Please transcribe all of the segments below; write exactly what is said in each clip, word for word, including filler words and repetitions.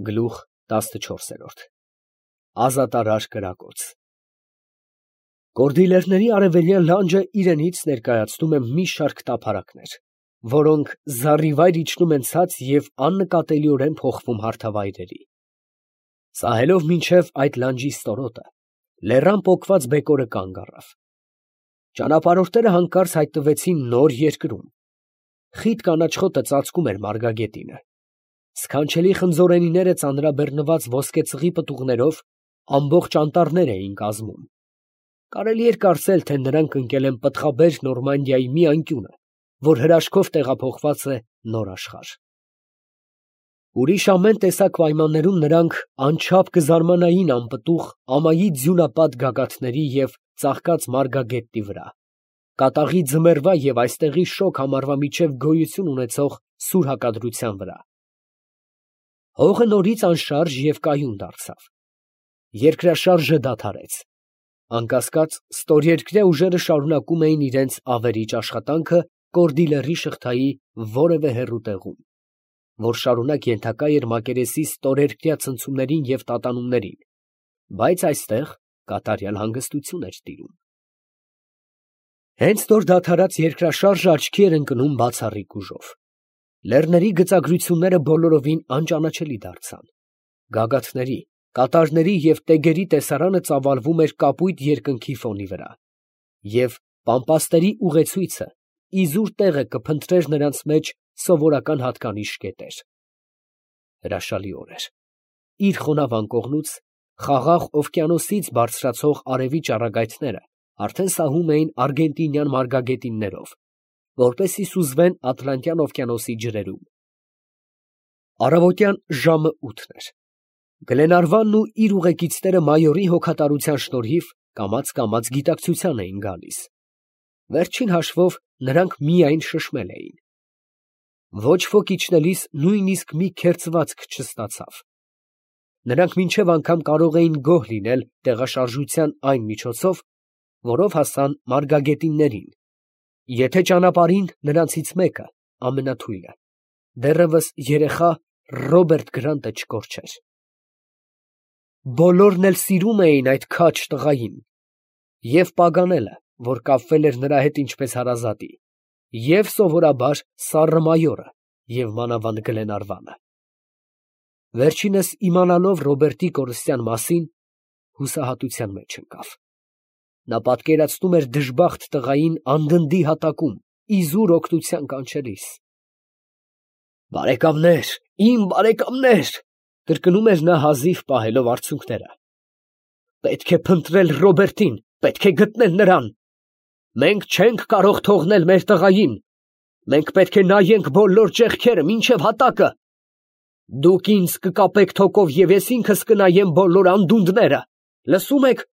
Գլուխ տասնչորսերորդ Ազատարար կրակոց Կորդիլերների արևելյան լանջը իրենից ներկայացնում է մի շարք տափարակներ, որոնք զառիվայր իջնում են ցած և աննկատելիորեն փոխվում հարթավայրերի։ Սահելով մինչև այդ լանջի ստորոտը, լեռան պոկված բեկորը կանգ առավ։ Ճանապարհորդները հանկարծ հայտնվեցին նոր երկրում։ Խիտ կանաչ խոտը ծածկում էր մարգագետինը։ Սքանչելի խնձորենիները ծանրաբեռնված ոսկեծղի պտուղներով ամբողջ անտառներ էին կազմում։ Կարելի էր կարծել, թե նրանք ընկել են պտղաբեր Նորմանդիայի մի անկյունը, որ հրաշքով տեղափոխված է նոր աշխարհ։ Ուրիշ ամեն տեսակ պայմաններում նրանք անչափ կզարմանային անպտուղ ամայի ձյունապատ գագաթների և ծաղկած մարգագետնի վրա, կատաղի ձմեռվա և այստեղի շոգ ամառվա միջև գոյություն ունեցող սուր հակադրության վրա։ Հողը նորից անշարժ և կայուն դարձավ։ Երկրաշարժը դադարեց։ Անկասկած, ստորերկրյա ուժերը շարունակում էին իրենց ավերիչ աշխատանքը Կորդիլերի շղթայի որևէ հեռու տեղում, որ շարունակ ենթակա էր մակերեսի ստորերկրյա ցնցումներին և տատանումներին, բայց այստեղ կատարյալ հանգստություն էր տիրում։ Հենց նոր դադարած երկրաշարժը աչքի էր ընկնում բացառիկ ուժով։ Լեռների գծագրությունները բոլորովին անճանաչելի դարձան։ Գագաթների, կատարների և տեգերի տեսարանը ծավալվում էր կապույտ երկնքի ֆոնի վրա, և պամպաստերի ուղեցույցը իզուր տեղը կփնտրեր նրանց մեջ սովորական հատկանիշ կետեր։ Հրաշալի օր էր։ Իր խոնավ անկողնուց խաղաղ օվկիանոսից բարձրացող արևի ճառագայթները արդեն սահում էին արգենտինյան մարգագետիններով, որպեսզի սուզվեն Ատլանտյան օվկիանոսի ջրերում։ Առավոտյան ժամը ութն էր։ Գլենարվանն ու իր ուղեկիցները մայորի հոգատարության շնորհիվ կամաց֊կամաց գիտակցության էին գալիս։ Վերջին հաշվով նրանք միայն շշմել էին։ Ոչ ոք իջնելիս նույնիսկ մի քերծվածք չստացավ։ Նրանք մինչև անգամ կարող էին գոհ լինել տեղաշարժության այն միջոցով, որով հասան մարգագետիններին, եթե ճանապարհին նրանցից մեկը, ամենաթույլը, դեռևս երեխա Ռոբերտ Գրանտը չկորչեր։ Բոլորն էլ սիրում էին այդ քաջ տղային, և Պագանելը, որ կապվել էր նրա հետ ինչպես հարազատի, և սովորաբար սառը մայորը և մանավանդ Գլենարվանը։ Վերջինս իմանալով Ռոբերտի կորստյան մասին, հուսահատության մեջ ընկավ։ Նա պատկերացնում էր դժբախտ տղային անդնդի հատակում, իզուր օգնության կանչելիս։ «Բարեկամներ, իմ բարեկամներ», կրկնում էր նա հազիվ պահելով արցունքները, «պետք է փնտրել Ռոբերտին, պետք է գտնել նրան։ Մենք չենք կարող թողնել մեր տղային, մենք պետք է նայենք բոլոր ճեղքերը մինչև հատակը։ Դուք ինձ կկապեք թոկով և ես ինքս կնայեմ բոլոր անդունդները, լսում եք,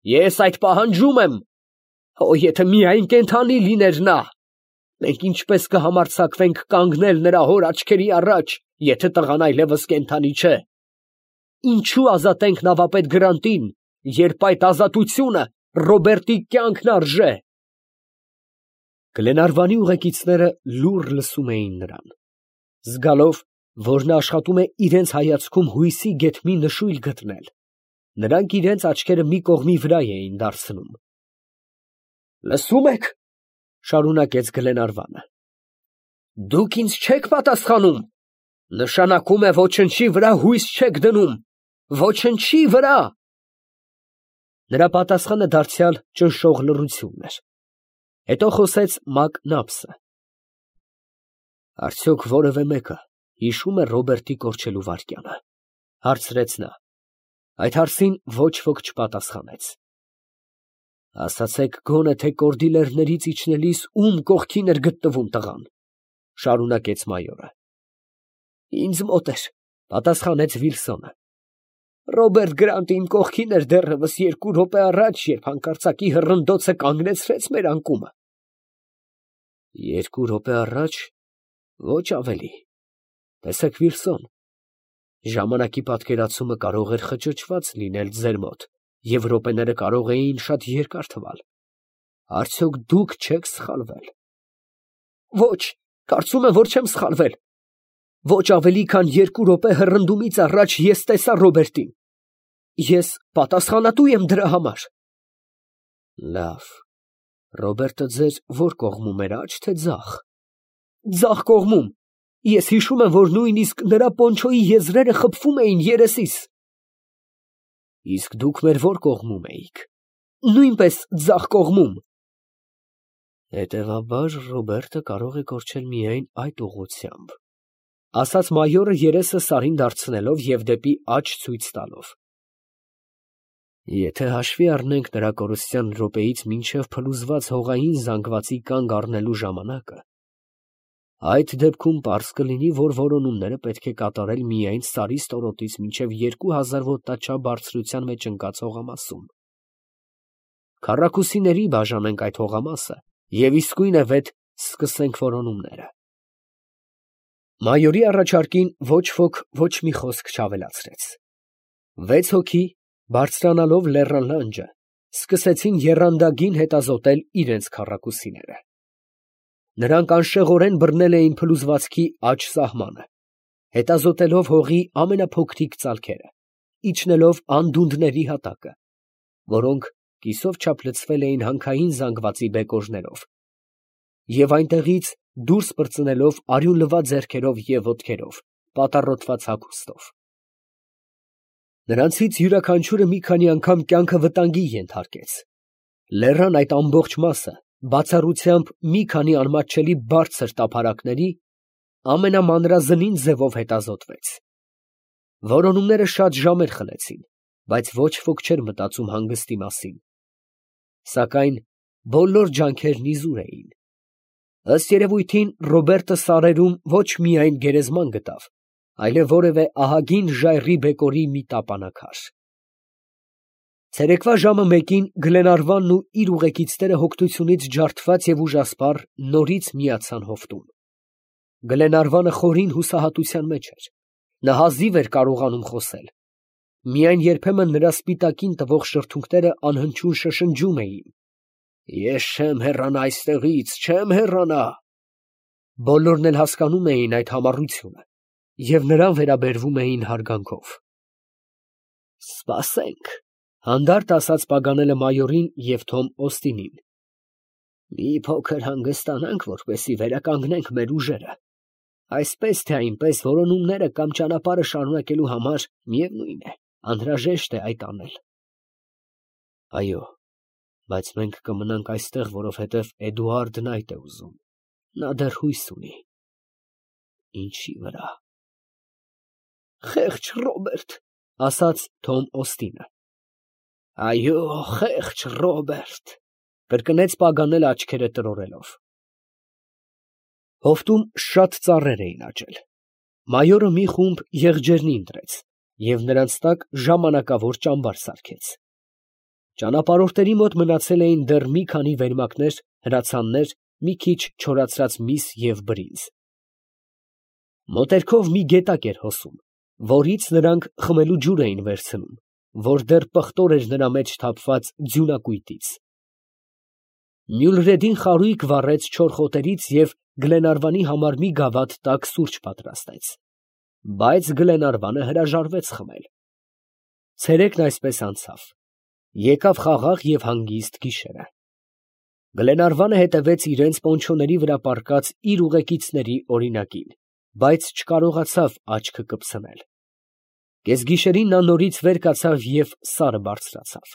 ես այդ պահանջում եմ։ Օ, եթե միայն կենդանի լիներ նա, մենք ինչպես կհամարձակվենք կանգնել նրա հոր աչքերի առաջ, եթե տղան այլևս կենդանի չէ։ Ինչու ազատենք նավապետ Գրանտին, երբ այդ ազատությունը Ռոբերտի կյանքն արժե»։ Գլենարվանի ուղեկիցները լուռ լսում էին նրան, զգալով, որ նա աշխատում է իրենց հայացքում հույսի գեթ մի նշույլ գտնել, նրանք իրենց աչքերը մի կողմի վրա էին դարձնում։ «Լսում եք, ֊ շարունակեց Գլենարվանը, ֊ դուք ինձ չեք պատասխանում, նշանակում է ոչնչի վրա հույս չեք դնում, ոչնչի վրա»։ Նրա պատասխանը դարձյալ ճնշող լռությունն էր։ Հետո խոսեց Մակնաբսը. «Արդյոք որևէ մեկը հիշո՞ւմ է Ռոբերտի կորչելու վայրկյանը, ֊ հարցրեց նա։ Այդ հարցին ոչ ոք չպատասխանեց։ «Ասացեք գոնե, թե Կորդիլերներից իջնելիս ում կողքին էր գտնվում տղան, ֊ շարունակեց մայորը։ Ինձ մոտ էր, ֊ պատասխանեց Վիլսոնը։ Ռոբերտ Գրանտը իմ կողքին էր դեռևս երկու րոպե առաջ, երբ հանկարծակի հռնդոցը կանգնեցրեց մեր անկումը։ Երկու րոպե առաջ, ոչ ավելի։ Տեսեք, Վիլսոն, ժամանակի պատկերացումը կարող էր խճճված լինել ձեր մոտ, և րոպեները կարող էին շատ երկար թվալ։ Արդյոք դուք չեք սխալվել։ Ոչ, կարծում եմ, որ չեմ սխալվել։ Ոչ ավելի քան երկու րոպե հռնդումից առաջ ես տեսա Ռոբերտին։ Ես պատասխանատու եմ դրա համար։ Լավ, Ռոբերտը ձեր ո՞ր կողմում էր, աջ թե ձախ։ Ձախ կողմում։ Ես հիշում եմ, որ նույնիսկ նրա պոնչոյի եզրերը խփվում էին երեսիս։ Իսկ դուք մեր ո՞ր կողմում էիք։ Նույնպես ձախ կողմում։ Հետևաբար Ռոբերտը կարող է կորչել միայն այդ ուղղությամբ, ասաց մայորը երեսը Սարին դարձնելով և դեպի աջ ցույց տալով։ Եթե հաշվի առնենք նրա կորստյան րոպեից մինչև փլուզված հողային զանգվածի կանգ առնելու ժամանակը, այդ դեպքում պարզ կլինի, որ որոնումները պետք է կատարել միայն Սարի ստորոտից մինչև երկու հազար ոտնաչափ բարձրության մեջ ընկած հողամասում։ Քառակուսիների բաժանենք այդ հողամասը և իսկույնևեթ սկսենք որոնումները։ Մայորի առաջարկին ոչ ոք ոչ մի խոսք չավելացրեց։ Վեց հոգի, բարձրանալով լեռան լանջը, սկսեցին եռանդագին հետազոտել իրենց քառակուսիները։ Նրանք անշեղորեն բռնել էին փլուզվածքի աջ սահմանը, հետազոտելով հողի ամենափոքրիկ ծալքերը, իջնելով անդունդների հատակը, որոնք կիսով չափ լցվել էին հանքային զանգվածի բեկորներով, և այնտեղից դուրս պրծնելով արյունլվա ձեռքերով և ոտքերով, պատառոտված հագուստով։ Նրանցից յուրաքանչյուրը մի քանի անգամ կյանքը վտանգի ենթարկեց։ Լեռան այդ ամբողջ մասը բացառությամբ մի քանի անմատչելի բարձր տափարակների ամենամանրազնին ձևով հետազոտվեց։ Որոնումները շատ ժամեր խլեցին, բայց ոչ ոք չէր մտածում հանգստի մասին։ Սակայն բոլոր ջանքերն իզուր էին։ Ըստ երևույթին Ռոբերտը սարերում ոչ միայն գերեզման գտավ, այլև որևէ ահագին ժայռի բեկորի մի տապանաքար։ Ցերեկվա ժամը մեկին Գլենարվանն ու իր ուղեկիցները հոգնությունից ջարդված և ուժասպառ նորից միացան հովտում։ Գլենարվանը խորին հուսահատության մեջ էր։ Նա հազիվ էր կարողանում խոսել։ Միայն երբեմն նրա սպիտակին տվող շրթունքները անհնչյուն շշնջում էին. «Ես չեմ հեռանա այստեղից, չեմ հեռանա»։ Բոլորն էլ հասկանում էին այդ համառությունը և նրան վերաբերվում էին հարգանքով։ «Սպասենք», հանդարտ ասաց Պագանելը մայորին և Թոմ Օստինին։ «Մի փոքր հանգստանանք, որպեսզի վերականգնենք մեր ուժերը։ Այսպես թե այնպես որոնումները կամ ճանապարհը շարունակելու համար, միևնույն է, անհրաժեշտ է այդ անել»։ Այո, բայց մենք կմնանք այստեղ, որովհետև Էդուարդն այդ է ուզում. նա դեռ հույս ունի։ Ինչի վրա։ Խեղճ Ռոբերտ, ասաց Թոմ Օստինը։ Այո, խեղճ Ռոբերտ, կրկնեց Պագանելը աչքերը տրորելով։ Հովտում շատ ծառեր էին աճել։ Մայորը մի խումբ եղջերնի ընտրեց և նրանց տակ ժամանակավոր ճամբար սարքեց։ Ճանապարհորդների մոտ մնացել էին դեռ մի քանի վերմակներ, հրացաններ, մի քիչ չորացրած միս և բրինձ։ Մոտերքով մի գետակ էր հոսում, որից նրանք խմելու ջուր էին վերցնում, որ դեռ պղտոր էր նրա մեջ թափված ձյունակույտից։ Մյուլրեդին խարույկ վառեց չոր խոտերից և Գլենարվանի համար մի գավաթ տաք սուրճ պատրաստեց, բայց Գլենարվանը հրաժարվեց խմել։ Ցերեկն այսպես անցավ։ Եկավ խաղաղ և հանգիստ գիշերը։ Գլենարվանը հետևեց իրենց պոնչոների վրա պառկած իր ուղեկիցների օրինակին, բայց չկարողացավ աչքը կպցնել։ Կեսգիշերին նա նորից վեր կացավ և սարը բարձրացավ։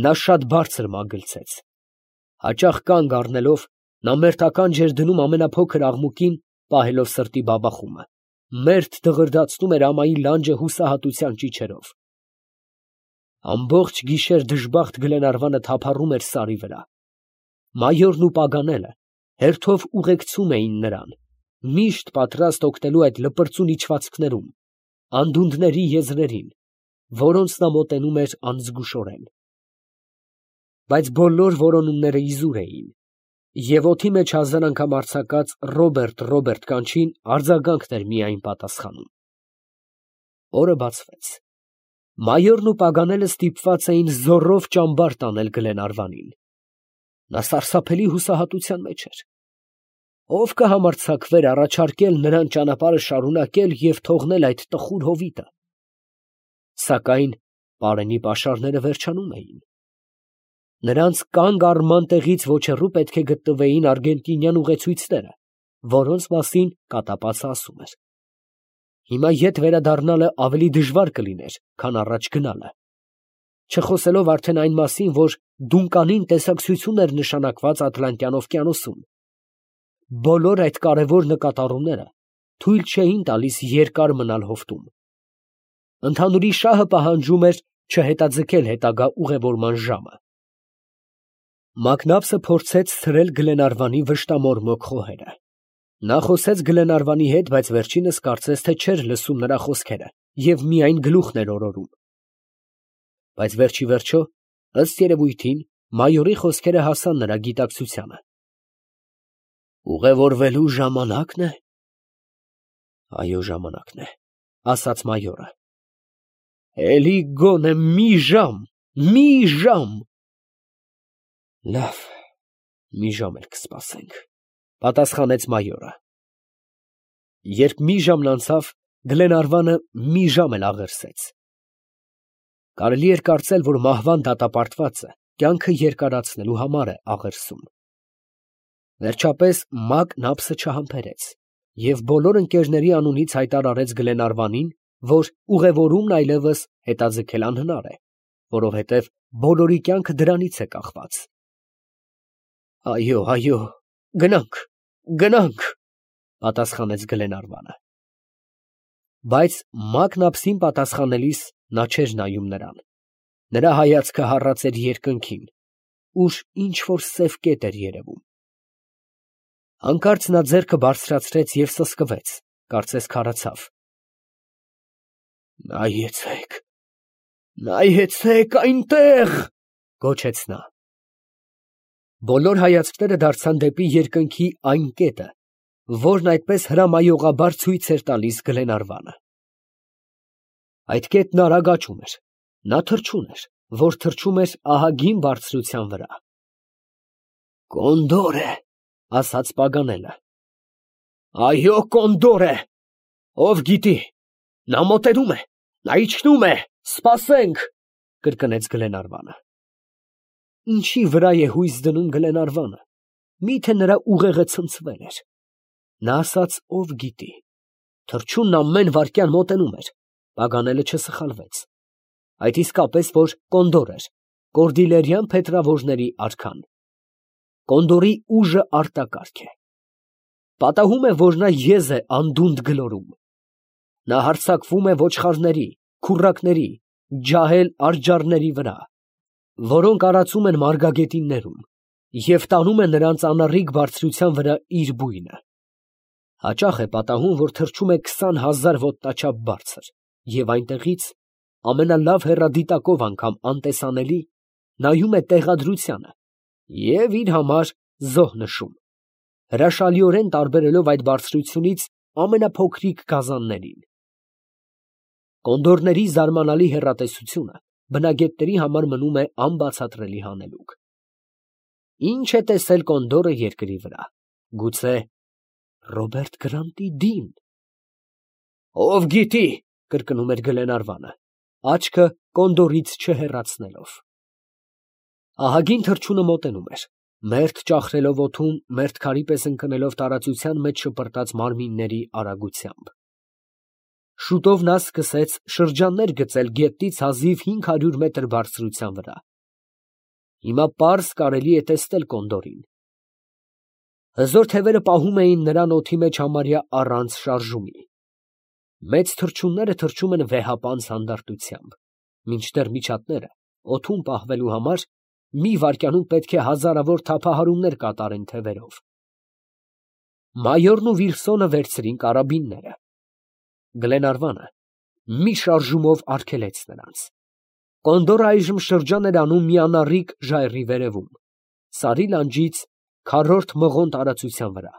Նա շատ բարձր մագլցեց։ Հաճախ կանգ առնելով, նա մերթականջ էր դնում ամենափոքր աղմուկին, պահելով սրտի բաբախումը, մերթ դղրդացնում էր ամայի լանջը հուսահատության ճիչերով։ Ամբողջ գիշեր դժբախտ Գլենարվանը թափառում էր սարի վրա։ Մայորն ու Պագանելը հերթով ուղեկցում էին նրան, միշտ պատրաստ օգնելու այդ լպրծուն իջվածքներում, անդունդների եզրերին, որոնց նա մոտենում էր անզգուշորեն։ Բայց բոլոր որոնումները իզուր էին, և օդի մեջ հազար անգամ արձակած Ռոբերտ, Ռոբերտ կանչին արձագանքն էր միայն պատասխանում։ Օրը բացվեց։ Մայորն ու Պագանելը ստիպված էին զոռով ճամբար տանել Գլենարվանին։ Նա սարսափելի հուսահատության մեջ էր։ Ով կհամարձակվեր առաջարկել նրան ճանապարհը շարունակել և թողնել այդ տխուր հովիտը։ Սակայն պարենի պաշարները վերջանում էին։ Նրանց կանգ առման տեղից ոչ հեռու պետք է գտնվեին արգենտինյան ուղեցույցները, որոնց մասին կատապածը ասում էր։ Հիմա ետ վերադառնալը ավելի դժվար կլիներ, քան առաջ գնալը, չխոսելով արդեն այն մասին, որ Դունկանին տեսակցություն էր նշանակված Ատլանտյան օվկիանոսում։ Բոլոր այդ կարևոր նկատառումները թույլ չէին տալիս երկար մնալ հովտում։ Ընդհանուրի շահը պահանջում էր չհետաձգել հետագա ուղևորման ժամը։ Մակնաբսը փորձեց ցրել Գլենարվանի վշտամորմոք խոհերը։ Նա խոսեց Գլենարվանի հետ, բայց վերջինս կարծես թե չէր լսում նրա խոսքերը և միայն գլուխն էր օրորում։ Բայց վերջի վերջո, ըստ երևույթին, մայորի խոսքերը հասան նրա գիտակցությանը։ Ուղևորվելու ժամանակն է։ Այո, ժամանակն է, ասաց մայորը։ Էլի գոնե մի ժամ, մի ժամ։ Լավ, մի ժամ էլ կսպասենք, պատասխանեց մայորը։ Երբ մի ժամն անցավ, Գլենարվանը մի ժամ էլ աղերսեց։ Կարելի էր կարծել, որ մահվան դատապարտվածը կյանքը երկարացնելու համար է աղերսում։ Վերջապես Մակն ափսը չհամբերեց և բոլոր ընկերների անունից հայտարարեց Գլենարվանին, որ ուղևորումն այլևս հետաձգել անհնար է, որովհետև բոլորի կյանքը դրանից է կախված։ Այո, այո, գնանք, գնանք, պատասխանեց Գլենարվանը։ Բայց Մակն ափսին պատասխանելիս նա չէր նայում նրան։ Նրա հայացքը հառած էր երկնքին, ուր ինչ֊որ սև կետ էր երևում։ Հանկարծ նա ձեռքը բարձրացրեց և սսկվեց, կարծես քարացավ։ Նայեցեք, նայեցեք այնտեղ, գոչեց նա։ Բոլոր հայացքները դարձան դեպի երկնքի այն կետը, որն այդպես հրամայողաբար ցույց էր տալիս Գլենարվանը։ Այդ կետն արագ աճում էր, նա թռչուն էր, որ թռչում էր ահագին բարձրության վրա։ Կոնդոր է, ասաց Պագանելը։ Այո, կոնդոր է, ով գիտի, նա մոտենում է, նա իջնում է, սպասենք, կրկնեց Գլենարվանը։ Ինչի վրա է հույս դնում Գլենարվանը, միթե նրա ուղեղը ցնցվել էր։ Նա ասաց, ով գիտի, թռչունն ամեն վայրկյան մոտենում էր, Պագանելը չսխալվեց։ Այդ իսկապես որ կոնդոր էր, կորդիլերյան փետրավորների արքան։ Կոնդորի ուժը արտակարգ է։ Պատահում է, որ նա եզ է անդունդը գլորում։ Նա հարձակվում է ոչխարների, քուռակների, ջահել արջառների վրա, որոնք արածում են մարգագետիններում, և տանում է նրանց անառիկ բարձրության վրա իր բույնը։ Հաճախ է պատահում, որ թռչում է քսան հազար ոտնաչափ բարձր, և այնտեղից, ամենալավ հեռադիտակով անգամ անտեսանելի, նայում է տեղադրությանը և իր համար զոհ նշում, հրաշալիորեն տարբերելով այդ բարձրությունից ամենափոքրիկ գազաններին։ Կոնդորների զարմանալի հեռատեսությունը բնագետների համար մնում է անբացատրելի հանելուկ։ Ինչ է տեսել կոնդորը երկրի վրա, գուցե Ռոբերտ Գրանտի դին։ Ով գիտի, կրկնում էր Գլենարվանը, աչքը կոնդորից չհեռացնելով։ Ահագին թռչունը մոտենում էր, մերթ ճախրելով օդում, մերթ քարի պես ընկնելով տարածության մեջ շպրտած մարմինների արագությամբ։ Շուտով նա սկսեց շրջաններ գծել գետնից հազիվ հինգ հարյուր մետր բարձրության վրա։ Հիմա պարզ կարելի է տեսնել կոնդորին։ Հզոր թևերը պահում էին նրան օդի մեջ համարյա առանց շարժումի։ Մեծ թռչունները թռչում են վեհապանծ հանդարտությամբ, մինչդեռ միջատները օդում պահվելու համար մի վայրկյանում պետք է հազարավոր թափահարումներ կատարեն թևերով։ Մայորն ու Վիլսոնը վերցրին կարաբինները։ Գլենարվանը մի շարժումով արգելեց նրանց։ Կոնդորը այժմ շրջան էր անում մի անառիկ ժայռի վերևում, սարի լանջից քառորդ մղոն տարածության վրա։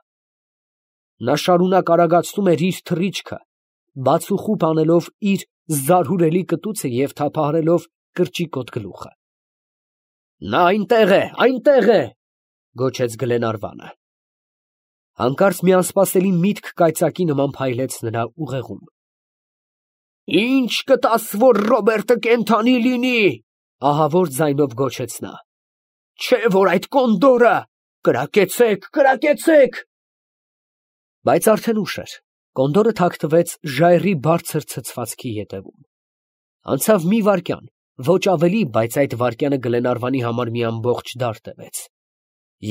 Նա շարունակ արագացնում էր իր թռիչքը, բացուխուպ անելով իր զարհուրելի կտուցը և թափահարելով կրճիկոտ գլուխը։ Նա այնտեղ է, այնտեղ է, գոչեց Գլենարվանը։ Հանկարծ մի անսպասելի միտք կայծակի նման փայլեց նրա ուղեղում։ Ի՞նչ կտաս, որ Ռոբերտը կենդանի լինի, ահավոր ձայնով գոչեց նա։ Չէ՞ որ այդ կոնդորը, կրակեցեք, կրակեցեք։ Բայց արդեն ուշ էր, կոնդորը թաքնվեց ժայռի բարձր ցցվածքի ետևում։ Անցավ մի վայրկյան, ոչ ավելի, բայց այդ վայրկյանը Գլենարվանի համար մի ամբողջ դար տևեց։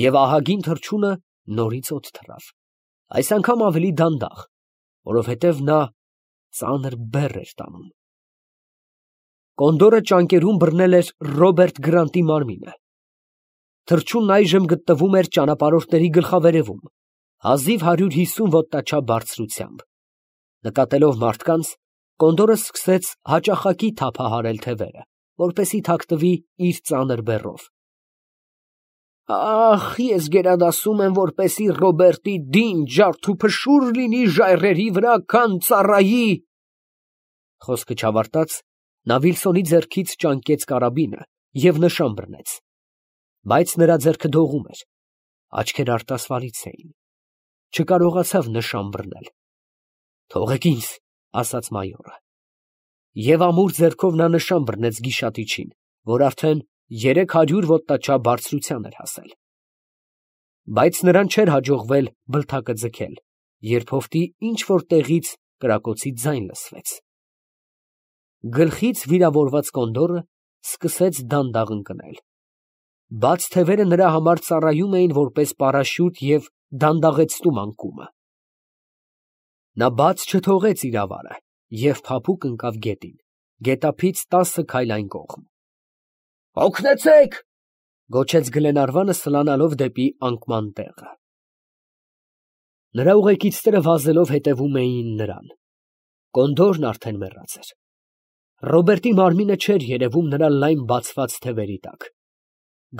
Եվ ահագին թռչունը նորից օդ թռավ, այս անգամ ավելի դանդաղ, որովհետև նա ծանր բեռ էր տանում։ Կոնդորը ճանկերում բռնել էր Ռոբերտ Գրանտի մարմինը։ Թռչունն այժմ գտնվում էր ճանապարհորդների գլխավերևում, հազիվ հարյուր հիսուն ոտնաչափ բարձրությամբ։ Նկատելով մարդկանց, կոնդորը սկսեց հաճախակի թափահարել թևերը, որպեսզի թաքնվի իր ծանր բեռով։ Ախ, ես գերադասում եմ, որպեսզի Ռոբերտի դին ջարդ ու փշուր լինի ժայռերի վրա, քան ծառայի։ Խոսքը չավարտած, նա Վիլսոնի ձեռքից ճանկեց կարաբինը և նշան բռնեց, բայց նրա ձեռքը դողում էր, աչքերը արտասվալից էին, չկարողացավ նշան բռնել։ Թողեք ինձ, ասաց մայորը։ Եվ ամուր ձեռքով նա նշան բռնեց գիշատիչին, որ արդեն երեք հարյուր ոտնաչափ բարձրության էր հասել։ Բայց նրան չէր հաջողվել բլթակը ձգել, երբ հովտի ինչ֊որ տեղից կրակոցի ձայն լսվեց։ Գլխից վիրավորված կոնդորը սկսեց դանդաղ ընկնել։ Բաց թևերը նրա համար ծառայում էին որպես պարաշյուտ և դանդաղեցնում անկումը։ Նա բաց չթողեց իր ավարը և փափուկ ընկավ գետին, գետափից տասը քայլ այն կողմ։ Օգնեցե՛ք, գոչեց Գլենարվանը սլանալով դեպի անկման տեղը։ Նրա ուղեկիցները վազելով հետևում էին նրան։ Կոնդորն արդեն մեռած էր։ Ռոբերտի մարմինը չէր երևում նրա լայն բացված թևերի տակ։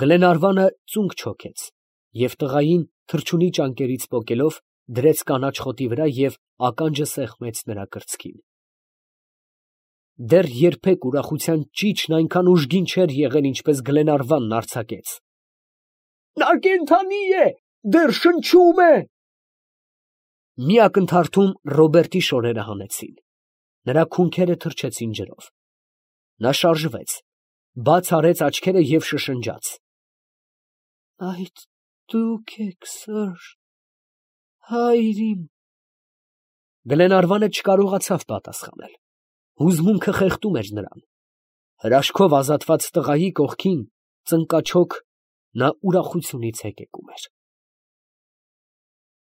Գլենարվանը ծունկ չոքեց և տղային թռչունի ճանկերից պոկելով դրեց կանաչ խոտի վրա և ականջը սեղմեց նրա կրծքին։ Դեռ երբեք ուրախության ճիչն այնքան ուժգին չէր եղել, ինչպես Գլենարվանն արձակեց։ Նա կենդանի է, դեռ շնչում է։ Մի ակնթարթում Ռոբերտի շորերը հանեցին, նրա քունքերը թրջեցին ջրով։ Նա շարժվեց, բաց արեց աչքերը և շշնջաց. Այդ դուք եք, սըր, հայր իմ։ Գլենարվանը չկարողացավ պատասխանել։ Հուզմունքը խեղդում էր նրան։ Հրաշքով ազատված տղայի կողքին ծնկաչոք նա ուրախությունից հեկեկում էր։